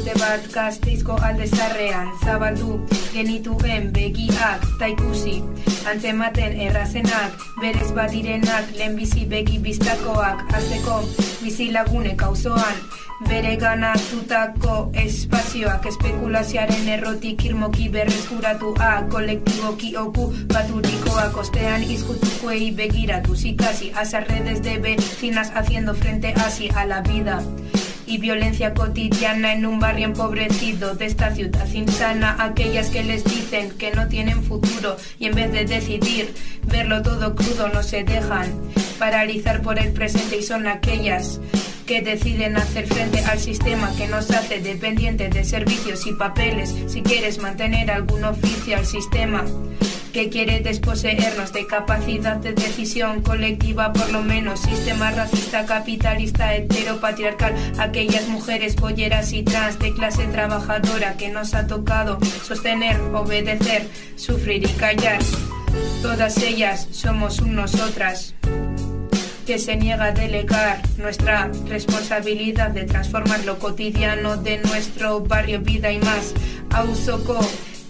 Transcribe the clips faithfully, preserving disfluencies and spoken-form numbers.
urte bat Gasteizko alde zarrean zabaldu genituen begiak ta ikusi antzematen errazenak, berez bat direnak, lehenbizi begi biztakoak, azteko bizilagunek auzoan, bere ganatutako espazioak, espekulazioaren errotik irmoki berreskuratuak, kolektiboki okupaturikoak, ostean izkutukoei begiratu, zikasi, azarredes de vecinas haciendo frente así a la vida. Y violencia cotidiana en un barrio empobrecido de esta ciudad insana, aquellas que les dicen que no tienen futuro y en vez de decidir verlo todo crudo no se dejan paralizar por el presente y son aquellas que deciden hacer frente al sistema que nos hace dependientes de servicios y papeles. Si quieres mantener algún oficio al sistema que quiere desposeernos de capacidad de decisión colectiva, por lo menos sistema racista, capitalista, heteropatriarcal, aquellas mujeres bolleras y trans de clase trabajadora que nos ha tocado sostener, obedecer, sufrir y callar. Todas ellas somos un nosotras que se niega a delegar nuestra responsabilidad de transformar lo cotidiano de nuestro barrio, vida y más. Auzoko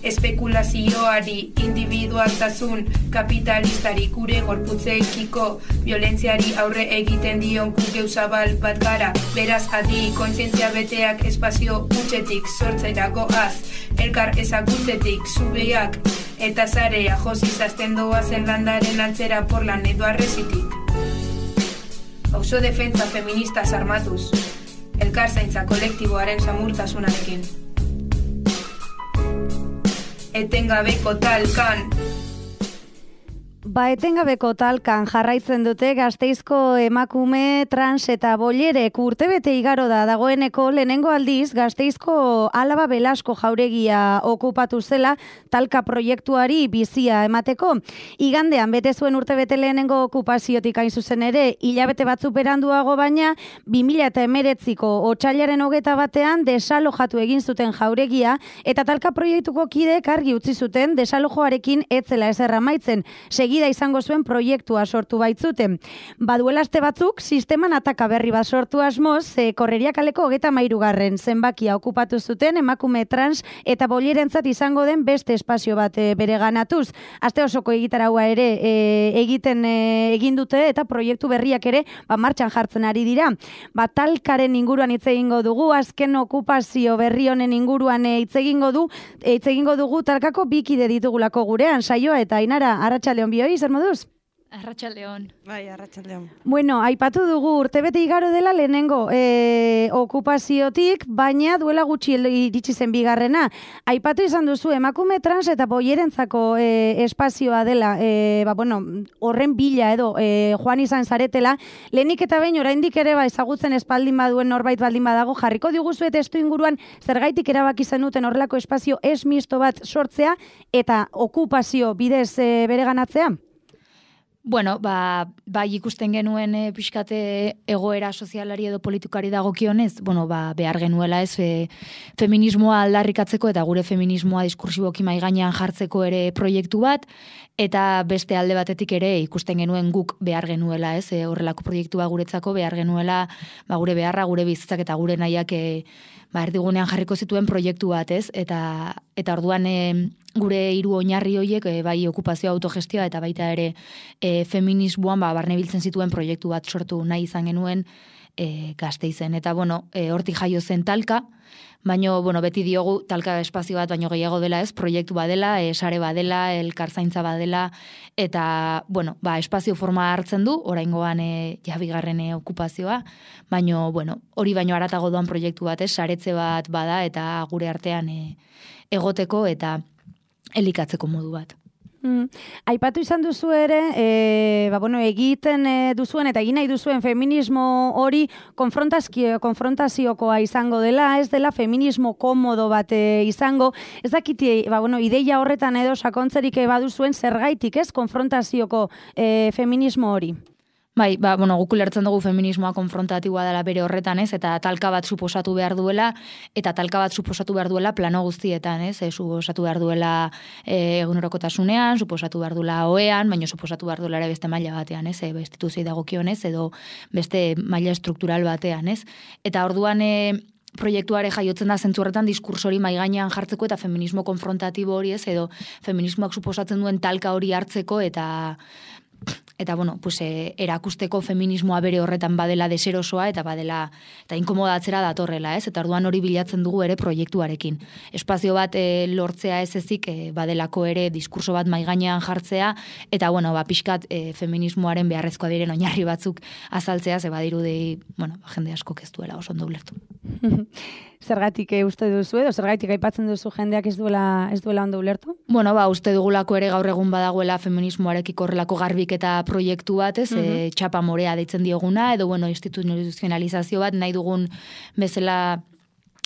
espekulazioari, individualtasun kapitalistari, gure gorputzekiko violentziari aurre egiten dion guk zabal bat gara. Beraz adi, kontzientzia beteak espazio hutsetik sortzera goaz, elkar ezagutzetik zubeak eta zarea josiz azten doazen landaren antzera porlan edo arrezitik. Auzo defentza feministas armatuz, elkar zaintza kolektiboaren samurtasunarekin. Etengabeko talkan. Ba, etengabeko talkan jarraitzen dute Gasteizko emakume trans eta bollerek urtebete igaro da dagoeneko lehenengo aldiz Gasteizko Alaba Belasko jauregia okupatu zela talka proiektuari bizia emateko. Igandean bete zuen urtebete lehenengo okupaziotik hain zuzen ere, hilabete batzuk beranduago baina bi mila hemeretziko otsailaren hogeta batean desalojatu egin zuten jauregia eta talka proiektuko kideek argi utzi zuten desalojoarekin etzela ezer amaitzen. Segida izango zuen proiektua sortu baitzuten. Baduela aste batzuk, sisteman ataka berri bat sortu asmoz, e, Korreria kaleko hogeta hamairugarren zenbakia okupatu zuten emakume trans eta bollerentzat izango den beste espazio bat e, bereganatuz. Aste osoko egitaraua ere e, egiten e, egin dute eta proiektu berriak ere ba, martxan jartzen ari dira. Ba, talkaren inguruan hitz egingo dugu, azken okupazio berri honen inguruan e, hitz egingo du, e, hitz egingo dugu talkako bikide ditugulako gurean, Saioa eta Ainara, arratsaldeon bioi, zer moduz? Arratsaldeon. Bai, arratsaldeon. Bueno, aipatu dugu urtebete igaro dela lehenengo e, okupaziotik, baina duela gutxi iritsi zen bigarrena. Aipatu izan duzu emakume trans eta bollerentzako e, espazioa dela, e, ba, bueno, horren bila edo e, joan izan zaretela, lehenik eta behin oraindik ere ba, ezagutzen espaldin baduen norbait baldin badago, jarriko diguzu eta testu inguruan zergaitik erabaki zenuten horrelako espazio ez misto bat sortzea eta okupazio bidez e, bereganatzea? Bueno, ba, bai ikusten genuen e, pixkate egoera sozialari edo politikari dagokionez, bueno, ba, behar genuela ez e, feminismoa aldarrikatzeko eta gure feminismoa diskursiboki mai gainean jartzeko ere proiektu bat, eta beste alde batetik ere ikusten genuen guk behar genuela ez, e, horrelako proiektua guretzako behar genuela ba, gure beharra, gure bizitzak eta gure nahiak e, ba, erdigunean jarriko zituen proiektu bat ez, eta, eta orduan e, gure hiru oinarri horiek e, bai okupazio autogestioa eta baita ere e, feminismoan ba, barnebiltzen zituen proiektu bat sortu nahi izan genuen e, Gasteizen. Eta bueno, e, hortik jaio zen talka, baino bueno, beti diogu talka espazio bat baino gehiago dela ez, proiektu badela, e, sare badela, elkarzaintza badela, eta bueno, ba, espazio forma hartzen du, oraingoan e, ja bigarren e, okupazioa, baino bueno, hori baino haratago doan proiektu bat ez, saretze bat bada eta gure artean e, egoteko eta elikatzeko modu bat. Mm. Aipatu izan duzu ere, e, ba, bueno, egiten e, duzuen eta egin nahi duzuen feminismo hori konfrontaziokoa izango dela, ez dela feminismo komodo bat e, izango. Ez dakiti, ba, bueno, ideia horretan edo sakontzerik baduzuen zergaitik, ez, konfrontazioko e, feminismo hori? Bai, ba, bueno, guk ulertzen dugu feminismoa konfrontatiboa dela bere horretan, ez, eta talka bat suposatu behar duela, eta talka bat suposatu behar duela plano guztietan, ez, e, suposatu behar duela e, egunerokotasunean, suposatu behar duela oean, baina suposatu behar duela ere beste maila batean, ez, e, instituzioi dagokionez, edo beste maila estruktural batean, ez. Eta orduan, e, proiektuare jaiotzen da zentzu horretan diskurso hori maigainean jartzeko eta feminismo konfrontatibo hori ez, edo feminismoak suposatzen duen talka hori hartzeko eta eta bueno, pues, e, erakusteko feminismoa bere horretan badela deserosoa eta badela eta inkomodatzera datorrela, ez? Eta orduan hori bilatzen dugu ere proiektuarekin. Espazio bat e, lortzea ez ezik e, badelako ere diskurso bat maigainean jartzea eta bueno, ba pixkat e, feminismoaren beharrezkoa diren oinarri batzuk azaltzea, ze badirudi, bueno, jende askok ez duela oso ondo ulertu. Zergatik e, uste duzu edo zergatik aipatzen duzu jendeak ez duela ez duela ondo ulertu? Bueno, ba uste dugulako ere gaur egun badagoela feminismoarekiko horrelako garbiketa proiektu bat, ez, uh -huh. e, txapa morea deitzen dioguna, edo bueno, instituzionalizazio bat nahi dugun bezala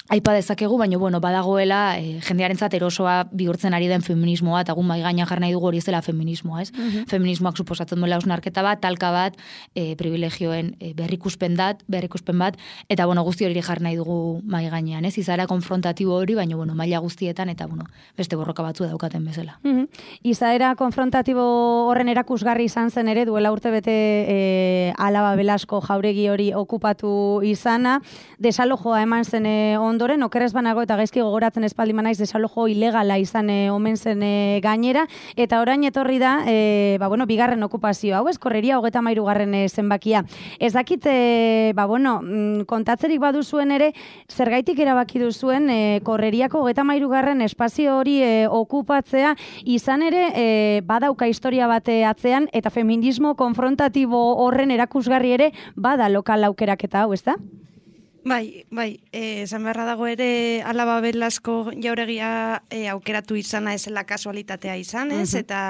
aipa dezakegu, baina bueno, badagoela e, jendearentzat erosoa bihurtzen ari den feminismoa, eta gu mai gainean jar nahi dugu hori ez dela feminismoa, ez? Uh-huh. Feminismoak suposatzen duela hausnarketa bat, talka bat, e, privilegioen e, berrikuspen bat, berrikuspen bat, eta bueno, guzti hori jar nahi dugu mai gainean, ez? Izaera konfrontatibo hori, baina bueno, maila guztietan eta bueno, beste borroka batzu daukaten bezala. Uh-huh. Izaera konfrontatibo horren erakusgarri izan zen ere duela urtebete e, Alaba Belasko jauregi hori okupatu izana, desalojoa eman zen e, ondoren, okerrez banago eta gaizki gogoratzen espaldi manaiz desalojo ilegala izan e, omen zen e, gainera, eta orain etorri da, e, ba, bueno, bigarren okupazio hau, ez, korreria hogeta mairu garren e, zenbakia. Ez dakit, e, ba, bueno, kontatzerik baduzuen ere, zergaitik erabaki duzuen, e, korreriako hogeta mairu garren espazio hori e, okupatzea, izan ere, e, badauka historia bate atzean, eta feminismo konfrontatibo horren erakusgarri ere, bada lokal aukeraketa hau, ez da? Bai, bai, esan beharra dago ere Alaba Belasko jauregia e, aukeratu izana ezela kasualitatea izan, ez? Uh-huh. Eta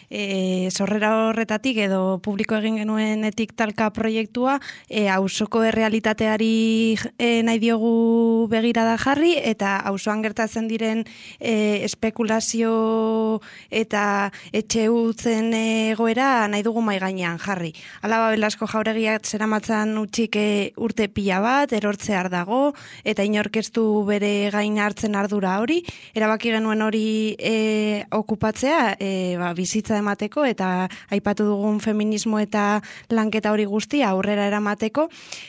e, sorrera horretatik edo publiko egin genuenetik talka proiektua e, auzoko errealitateari e, nahi diogu begirada jarri eta auzoan gertatzen diren e, espekulazio eta etxe utzen egoera nahi dugu mai gainean jarri. Alaba Belasko jauregiak zeramatzan utxik e, urte pila bat, eror hartzear dago, eta inorkeztu bere gain hartzen ardura hori, erabaki genuen hori e, okupatzea, e, ba, bizitza emateko, eta aipatu dugun feminismo eta lanketa hori guztia aurrera eramateko,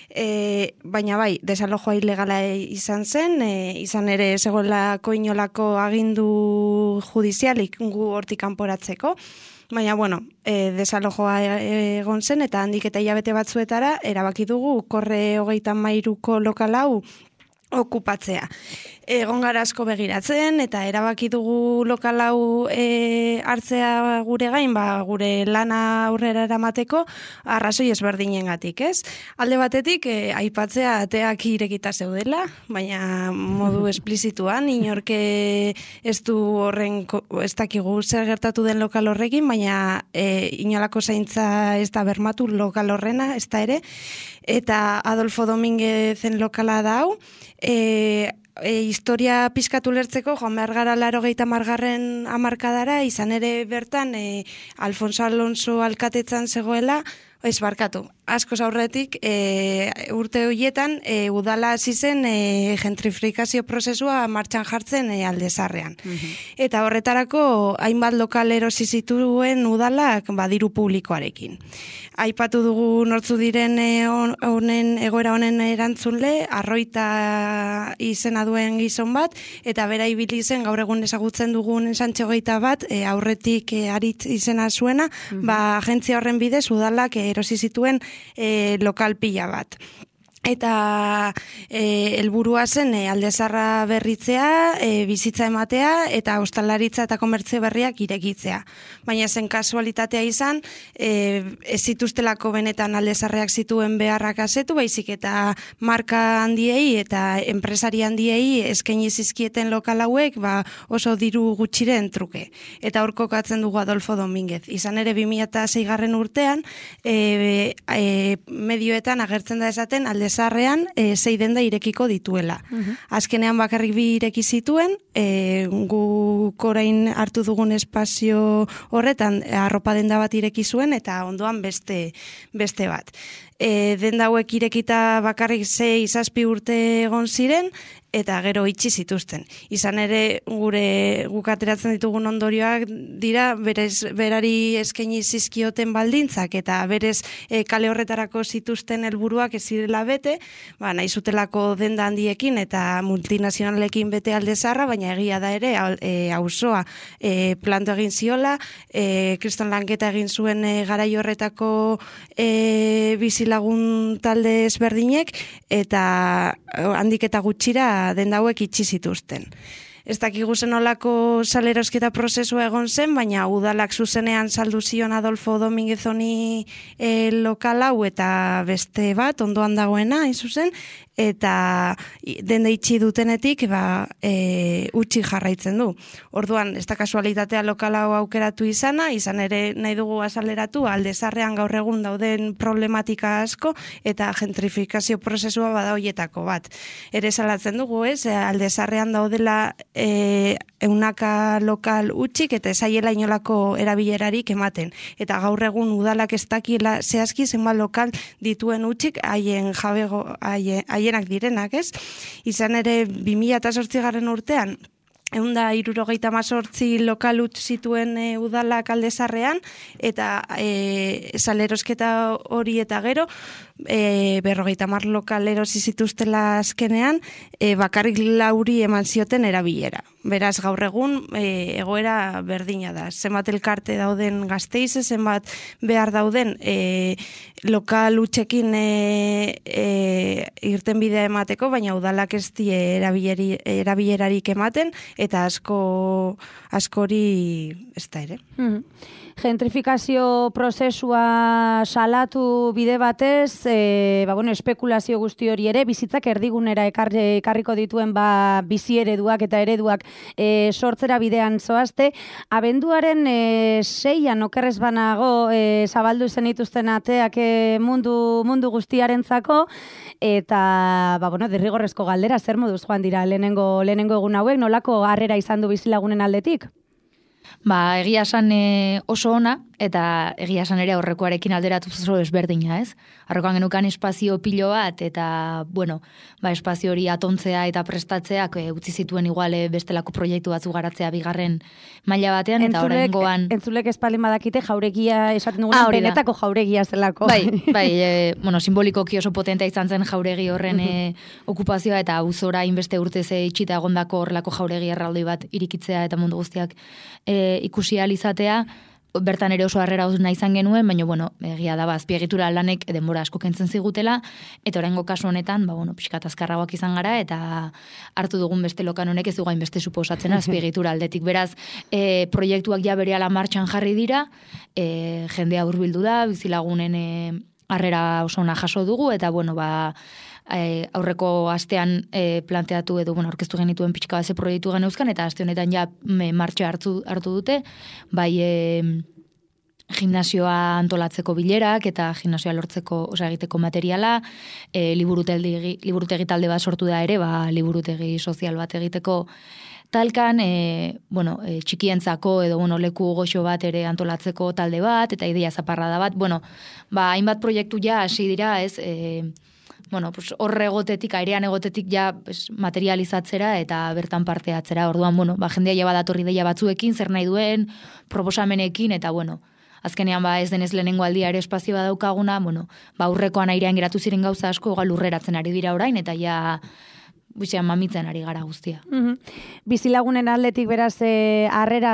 e, baina bai, desalojoa ilegala izan zen, e, izan ere zegoelako inolako agindu judizialik gu hortik kanporatzeko, baina, bueno, e, desalojoa egon zen, eta handik eta hilabete batzuetara, erabaki dugu, korre hogeita mairuko lokal hau okupatzea. Egon gara asko begiratzen, eta erabaki dugu lokal hau e, hartzea gure gain, ba, gure lana aurrera eramateko, arrazoi ezberdinengatik, ez? Alde batetik, e, aipatzea ateak irekita zeudela, baina modu esplizituan, inorke ez du horren, ez dakigu zer gertatu den lokal horrekin, baina e, inolako zaintza ez da bermatu lokal horrena, ez da ere, eta Adolfo Dominguezen lokala da hau, e, E, historia pizkatu lertzeko, joan behar gara larogeita margarren amarkadara, izan ere bertan e, Alfonso Alonso alkatetzan zegoela, ez barkatu, askoz aurretik e, urte horietan e, udala hasi zen e, gentrifikazio prozesua martxan jartzen e, Aldezarrean. Uh-huh. Eta horretarako hainbat lokal erosi zituen udalak badiru publikoarekin. Aipatu dugu nortzu diren honen egoera honen erantzunle, Arroita izena duen gizon bat, eta bera ibili zen gaur egun ezagutzen dugun Santxo Geita bat, e, aurretik e, Aritz izena zuena, uh-huh. ba agentzia horren bidez udalak e, erosi zituen e, lokal pila bat. Eta e, helburua zen e, Aldezarra berritzea, e, bizitza ematea eta ostalaritza eta komertzio berriak irekitzea. Baina zen kasualitatea izan, e, ez zituztelako benetan Aldezarreak zituen beharrak asetu, baizik eta marka handiei eta enpresari handiei eskaini zizkieten lokal hauek ba, oso diru gutxiren truke. Eta hor kokatzen dugu Adolfo Dominguez. Izan ere bi mila seigarren urtean, e, e, medioetan agertzen da esaten Aldezarrean Zarrean, e, zei denda irekiko dituela. Uh-huh. Azkenean bakarrik bi ireki zituen, e, guk orain hartu dugun espazio horretan arropa denda bat ireki zuen eta ondoan beste beste bat. e, denda hauek irekita bakarrik sei zazpi urte egon ziren, eta gero itxi zituzten. Izan ere, gure guk ateratzen ditugun ondorioak dira, berez, berari eskaini zizkioten baldintzak, eta berez e, kale horretarako zituzten helburuak ez zirela bete, ba, nahi zutelako denda handiekin eta multinazionalekin bete alde zaharra, baina egia da ere, e, auzoa e, planto egin ziola, e, kriston lanketa egin zuen e, garai horretako e, bizilagun talde ezberdinek, eta handik eta gutxira denda hauek itxi zituzten. Ez dakigu zen olako salerosketa prozesua egon zen, baina udalak zuzenean saldu zion Adolfo Dominguez honi e, lokal hau eta beste bat, ondoan dagoena, hain zuzen, eta denda itxi dutenetik ba, e, utzi jarraitzen du. Orduan, ez da kasualitatea lokal hau aukeratu izana, izan ere nahi dugu azaleratu, alde zarrean gaur egun dauden problematika asko, eta gentrifikazio prozesua bada hoietako bat. Ere salatzen dugu, ez, alde zarrean daudela e, eunaka lokal utxik, eta ezaiela inolako erabilerarik ematen. Eta gaur egun udalak ez dakiela zehazki zenbat lokal dituen utxik haien jabego, haien, haienak direnak, ez? Izan ere, bi mila zortzigarren urtean, ehun eta hirurogeita hemezortzi lokal utz zituen e, udalak alde zarrean, eta e, salerosketa hori eta gero, e, berrogeita hamar lokal erosi zituztela azkenean, e, bakarrik lauri eman zioten erabilera. Beraz, gaur egun e, egoera berdina da. Zenbat elkarte dauden Gasteiz, zenbat behar dauden e, lokal utxekin e, e, irten bidea emateko, baina udalak ez die erabilerarik ematen, eta asko askori ez da ere. Mm. Gentrifikazio prozesua salatu bide batez, e, ba, bueno, espekulazio guzti hori ere, bizitzak erdigunera ekar, ekarriko dituen ba, bizi ereduak eta ereduak e, sortzera bidean zoazte. Abenduaren e, seian okerrez banago e, zabaldu zen dituzten ateak e, mundu, mundu guztiarentzako, eta ba, bueno, derrigorrezko galdera, zer moduz joan dira lehenengo, lehenengo egun hauek, nolako harrera izan du bizilagunen aldetik? Ba, egia esan e, oso ona, eta egia esan ere aurrekoarekin alderatu oso ezberdina, ez? Aurrekoan genukan espazio pilo bat, eta, bueno, ba, espazio hori atontzea eta prestatzeak e, utzi zituen igual e, bestelako proiektu batzu garatzea bigarren maila batean, eta oraingoan Entzulek espalin badakite jauregia esaten dugun, ah, benetako jauregia zelako. Bai, bai, e, bueno, simbolikoki oso potentea izan zen jauregi horren e, okupazioa, eta auzora inbeste urtez e, itxita egondako horrelako jauregi erraldoi bat irikitzea eta mundu guztiak e, ikusi ahal izatea, bertan ere oso harrera nahi izan genuen, baina, bueno, egia da, azpiegitura lanek denbora asko kentzen zigutela, eta oraingo kasu honetan, ba, bueno, pixkat azkarragoak izan gara, eta hartu dugun beste lokan honek ez dugu hainbeste suposatzen azpiegitura aldetik. Beraz, e, proiektuak ja berehala martxan jarri dira, e, jendea hurbildu da, bizilagunen e, harrera oso ona jaso dugu, eta, bueno, ba, E, aurreko astean e, planteatu edo bueno, aurkeztu genituen pixka base proiektu geneuzkan, eta aste honetan ja me, martxa hartu, hartu dute, bai e, gimnasioa antolatzeko bilerak eta gimnasioa lortzeko, osea, egiteko materiala, e, liburutegi, liburutegi talde bat sortu da ere, ba, liburutegi sozial bat egiteko talkan, e, bueno, e, txikientzako edo bueno, leku goxo bat ere antolatzeko talde bat, eta ideia zaparrada bat, bueno, ba, hainbat proiektu ja hasi dira, ez, e, bueno, pues horre egotetik, airean egotetik ja pues, materializatzera eta bertan parte atzera. Orduan, bueno, ba, jendea ja badatorri deia batzuekin, zer nahi duen, proposamenekin, eta bueno, azkenean ba ez denez lehenengo aldia ere espazioa daukaguna, bueno, ba aurrekoan airean geratu ziren gauza asko, gal lurreratzen ari dira orain, eta ja buixean mamitzen ari gara guztia. Mm-hmm. Bizilagunen aldetik beraz e, harrera,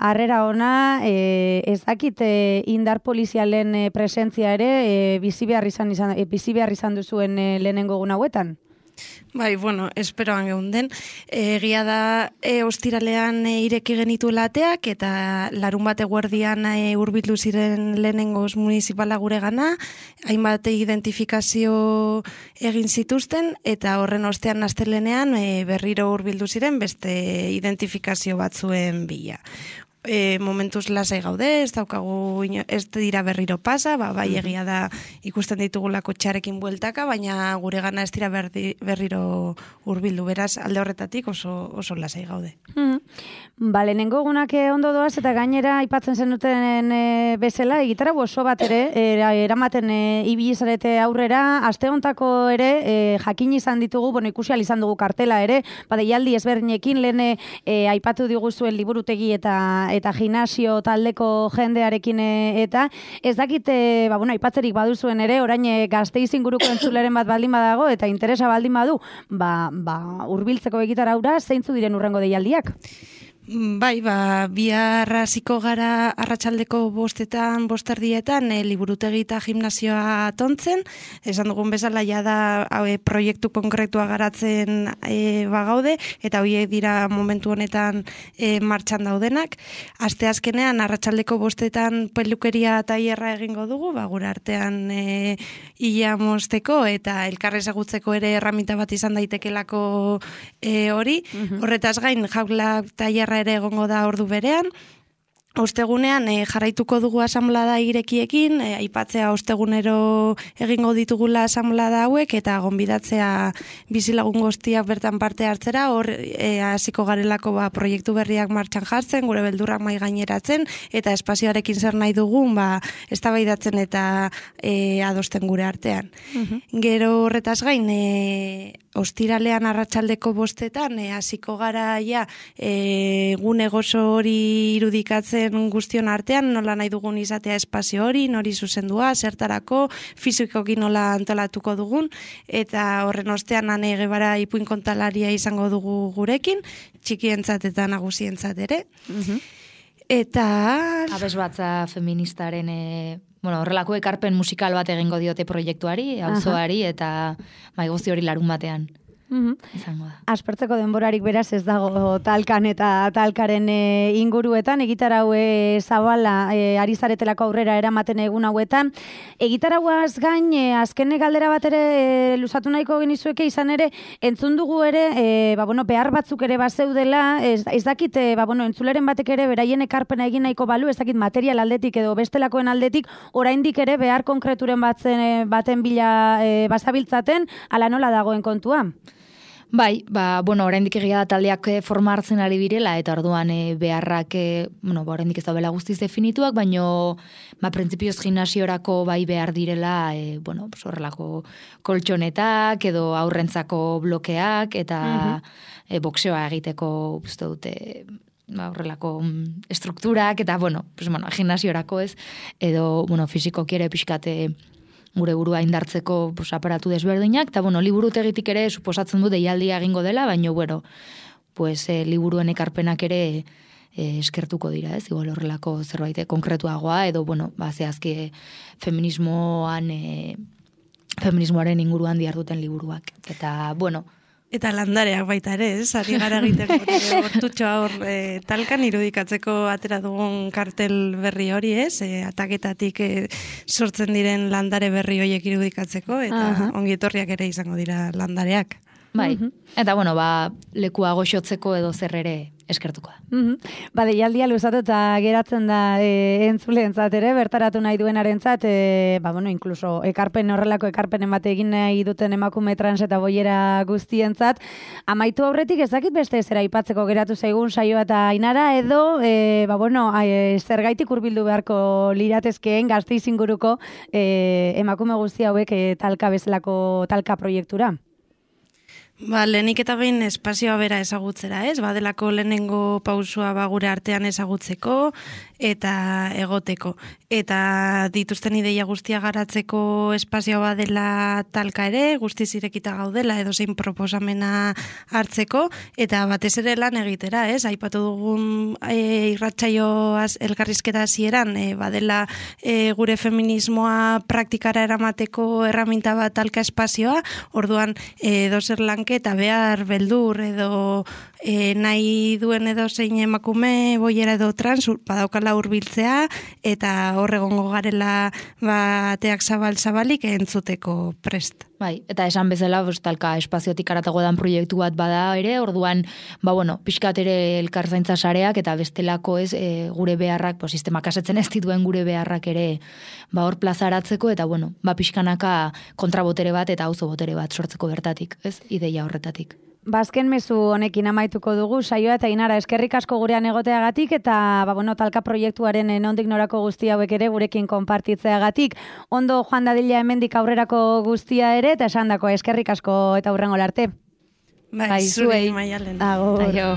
harrera ona, e, ez dakit e, indar polizialen e, presentzia ere e, bizi behar izan, izan, e, bizi behar izan duzuen e, lehenengo egun hauetan? Bai, bueno, esperoan geunden. Egia da, e, ostiralean e, ireki genituela ateak, eta larun bat eguerdian e, hurbildu ziren lehenengoz municipala gure gana, hainbat identifikazio egin zituzten, eta horren ostean astelenean e, berriro hurbildu ziren beste identifikazio batzuen bila. e, momentuz lasai gaude, ez daukagu, ez dira berriro pasa, ba, bai egia da ikusten ditugulako txarekin bueltaka, baina gure gana ez dira berdi, berriro hurbildu, beraz alde horretatik oso, oso lasai gaude. Mm. Ba, lehenengo egunak ondo doaz eta gainera aipatzen zenuten e, bezala, egitara oso bat ere, era, eramaten e, ibili zarete aurrera, aste hontako ere e, jakin izan ditugu, bueno, ikusi izan dugu kartela ere, badeialdi ezberdinekin lehen e, aipatu diguzuen liburutegi eta eta gimnasio taldeko jendearekin e, eta ez dakit, e, ba, bueno, aipatzerik baduzuen ere, orain e, Gasteiz inguruko entzuleren bat baldin badago eta interesa baldin badu, ba, ba, hurbiltzeko egitaraura zeintzu diren urrengo deialdiak? Bai, ba, bihar hasiko gara arratsaldeko bostetan, bosterdietan, e, liburutegi eta gimnasioa tontzen. Esan dugun bezala ja da e, proiektu konkretua garatzen e, bagaude, eta horiek dira momentu honetan e, martxan daudenak. Asteazkenean arratsaldeko bostetan pelukeria tailerra egingo dugu, ba, gure artean e, ia mozteko eta elkar ezagutzeko ere erraminta bat izan daitekelako e, hori. Uh-huh. Horretaz gain, jaula tailerra ere egongo da ordu berean. Ostegunean e, jarraituko dugu asamblada irekiekin, e, aipatzea ostegunero egingo ditugula asamblada hauek eta gonbidatzea bizilagun guztiak bertan parte hartzera, hor e, hasiko garelako ba, proiektu berriak martxan jartzen, gure beldurrak mai gaineratzen eta espazioarekin zer nahi dugun ba, eztabaidatzen eta e, adosten gure artean. Uh-huh. Gero horretaz gain, e, ostiralean arratsaldeko bostetan e, hasiko gara ja e, gune gozo hori irudikatzen guztion artean, nola nahi dugun izatea espazio hori, nori zuzendua, zertarako, fizikoki nola antolatuko dugun, eta horren ostean ane gebara ipuin kontalaria izango dugu gurekin, txikientzat eta nagusientzat ere. Uh-huh. Eta... Abes batza feministaren... E... Bueno, horrelako ekarpen musikal bat egingo diote proiektuari, auzoari eta bai guzti hori larun batean. Mm-hmm. Izango da. Aspertzeko denborarik beraz ez dago talkan eta talkaren e, inguruetan, egitarau e, zabala e, ari zaretelako aurrera eramaten egun hauetan. Egitarauaz gain, e, azken galdera bat ere e, luzatu nahiko genizueke izan ere, entzun dugu ere, e, ba, bueno, behar batzuk ere bazeudela, ez, ez dakit, e, ba, bueno, entzuleren batek ere beraien ekarpena egin nahiko balu, ez dakit material aldetik edo bestelakoen aldetik, oraindik ere behar konkreturen batzen, e, baten bila e, bazabiltzaten, ala nola dagoen kontua? Bai, ba, bueno, oraindik egia da taldeak forma hartzen ari birela, eta orduan e, beharrak, e, bueno, ba, oraindik ez daudela guztiz definituak, baino, ba, printzipioz gimnasiorako bai behar direla, e, bueno, horrelako koltxonetak, edo aurrentzako blokeak, eta uh-huh. e, boxeoa egiteko, uste dute, ba, horrelako estrukturak, eta, bueno, pues, bueno, gimnasiorako ez, edo, bueno, fizikoki ere pixkate, gure burua indartzeko pues, aparatu desberdinak, eta bueno, liburutegitik ere suposatzen du deialdia egingo dela, baina bueno, pues, e, liburuen ekarpenak ere e, eskertuko dira, ez? Igual horrelako zerbait konkretuagoa, edo bueno, ba, zehazki feminismoan, e, feminismoaren inguruan diharduten liburuak. Eta bueno, eta landareak baita ere, ez? Ari gara egiten gortutxoa hor e, talkan irudikatzeko atera dugun kartel berri hori, ez? E, ataketatik e, sortzen diren landare berri horiek irudikatzeko, eta uh-huh. ongi etorriak ere izango dira landareak. Bai, uh-huh. eta bueno, ba, lekua goxotzeko edo zer ere eskertuko da. Uh-huh. Ba, deialdia luzatu eta geratzen da e, entzuleentzat ere, bertaratu nahi duenarentzat, e, ba, bueno, incluso ekarpen horrelako ekarpen emate egin nahi duten emakume trans eta boiera guztientzat. Amaitu aurretik ez dakit beste zera aipatzeko geratu zaigun saioa eta Ainara, edo, e, ba, bueno, e, zergaitik hurbildu beharko liratezkeen Gasteiz inguruko e, emakume guzti hauek e, talka bezalako talka proiektura. Ba, lehenik eta behin espazioa bera ezagutzera, ez? Badelako lehenengo pausua ba gure artean ezagutzeko eta egoteko. Eta dituzten ideia guztia garatzeko espazioa badela talka ere, guztiz irekita gaudela edo zein proposamena hartzeko, eta batez ere lan egitera, ez? Aipatu dugun e, irratsaio elkarrizketa hasieran, e, badela e, gure feminismoa praktikara eramateko erraminta bat talka espazioa, orduan e, dozer lanke eta behar beldur edo e, nahi duen edo zein emakume boiera edo trans badaukala hurbiltzea eta hor egongo garela bateak zabal-zabalik entzuteko prest. Bai, eta esan bezala, talka espaziotik aratago dan proiektu bat bada ere, orduan, ba bueno, pixkat ere elkarzaintza sareak eta bestelako ez e, gure beharrak, pues, sistemak asetzen ez dituen gure beharrak ere ba hor plazaratzeko eta bueno, ba pixkanaka kontrabotere bat eta auzo botere bat sortzeko bertatik, ez? Ideia horretatik. Bazken mezu honekin amaituko dugu, saioa eta Inara eskerrik asko gurean egoteagatik eta ba, bueno, talka proiektuaren nondik norako guzti hauek ere gurekin konpartitzeagatik. Ondo joan dadila hemendik aurrerako guztia ere eta esandako eskerrik asko eta hurrengo arte. Bai, zuei Maialen. Agur. Aio.